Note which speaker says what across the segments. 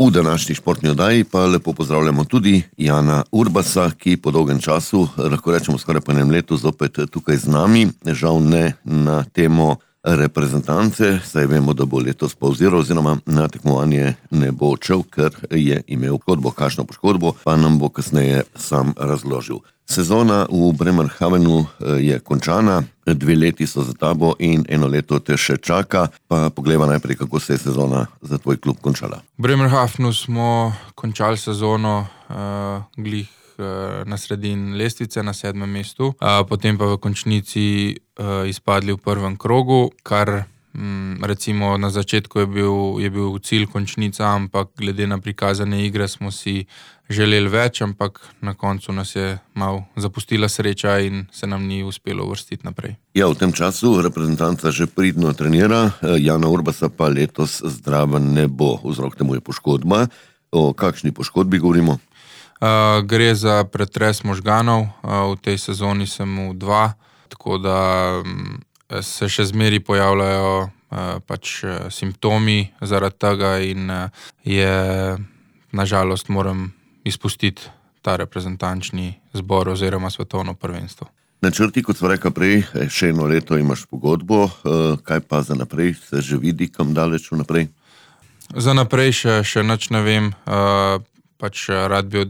Speaker 1: V današnji športni oddaji pa lepo pozdravljamo tudi Jana Urbasa, ki po dolgem času, lahko rečemo skoraj po enem letu, zopet tukaj z nami. Žal ne na temo reprezentance, saj vemo, da bo letos pauziral oziroma na tekmovanje ne bo odšel, ker je imel poškodbo. Kakšno poškodbo pa nam bo kasneje sam razložil. Sezona v Bremerhavenu je končana, 2 leti so za tabo in 1 leto te še čaka. Pa poglejva najprej, kako se je sezona za tvoj klub končala.
Speaker 2: V Bremerhavenu smo končali sezono glih na sredini lestvice, na 7. mestu, potem pa v končnici izpadli v prvem krogu, kar recimo na začetku je bil cilj končnica, ampak glede na prikazane igre smo si želeli več, ampak na koncu nas je malo zapustila sreča in se nam ni uspelo uvrstiti naprej.
Speaker 1: Ja, v tem času reprezentanca že pridno trenira, Jana Urbasa pa letos zdraven ne bo. Vzrok temu je poškodba. O kakšni poškodbi govorimo?
Speaker 2: Gre za pretres možganov, v tej sezoni sem mu 2, tako da se še zmeraj pojavljajo simptomi zaradi tega in je nažalost moram izpustiti ta reprezentančni zbor oziroma svetovno prvenstvo.
Speaker 1: Načrti, kot sva rekla prej, še 1 leto imaš pogodbo, kaj pa za naprej? Se že vidi kam daleč vnaprej?
Speaker 2: Za naprej še nič ne vem, rad bi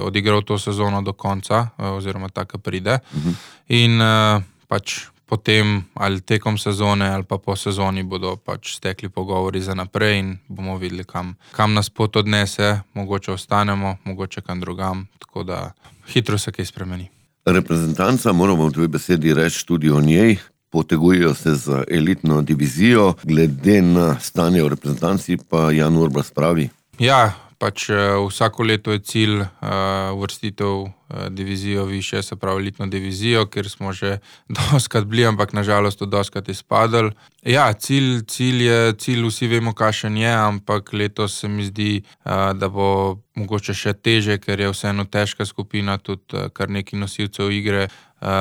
Speaker 2: odigral to sezono do konca, oziroma taka pride. In potem ali tekom sezone ali pa po sezoni bodo stekli pogovori za naprej in bomo videli, kam nas pot odnese, mogoče ostanemo, mogoče kam drugam, tako da hitro se kaj spremeni.
Speaker 1: Reprezentanca, moramo v tvoji besedi reči tudi o njej, potegujejo se za elitno divizijo, glede na stanje v reprezentanci pa Jan Urbas pravi.
Speaker 2: Ja, vsako leto je cilj uvrstitev divizijo višje, se pravi elitno divizijo, kjer smo že dostikrat bili, ampak nažalost dostikrat izpadli. Ja, cilj vsi vemo, kakšen je, ampak letos se mi zdi, da bo mogoče še teže, ker je vseeno težka skupina, tudi kar nekaj nosilcev igre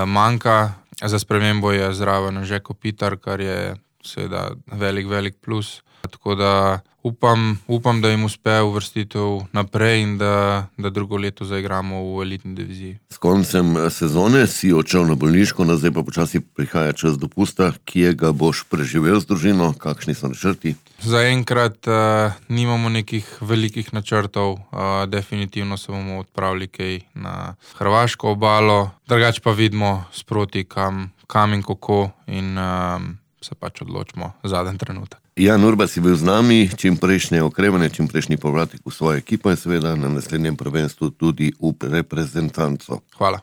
Speaker 2: manjka. Za spremembo je zraven Anže Kopitar, kar je seveda velik plus. Tako da upam, da jim uspe uvrstitev naprej in da drugo leto zaigramo v elitni diviziji.
Speaker 1: S koncem sezone si odšel na bolniško, zdaj pa počasi prihaja čas dopusta, kje ga boš preživel z družino, kakšni so načrti?
Speaker 2: Zaenkrat nimamo nekih velikih načrtov, definitivno se bomo odpravili kaj na hrvaško obalo, drugače pa vidimo sproti kam in kako in se odločimo zadnji trenutek.
Speaker 1: Jan Urbas je bil z nami, čim prejšnje okrevanje, čim prejšnji povratek v svojo ekipo in seveda na naslednjem prvenstvu tudi v reprezentanco.
Speaker 2: Hvala.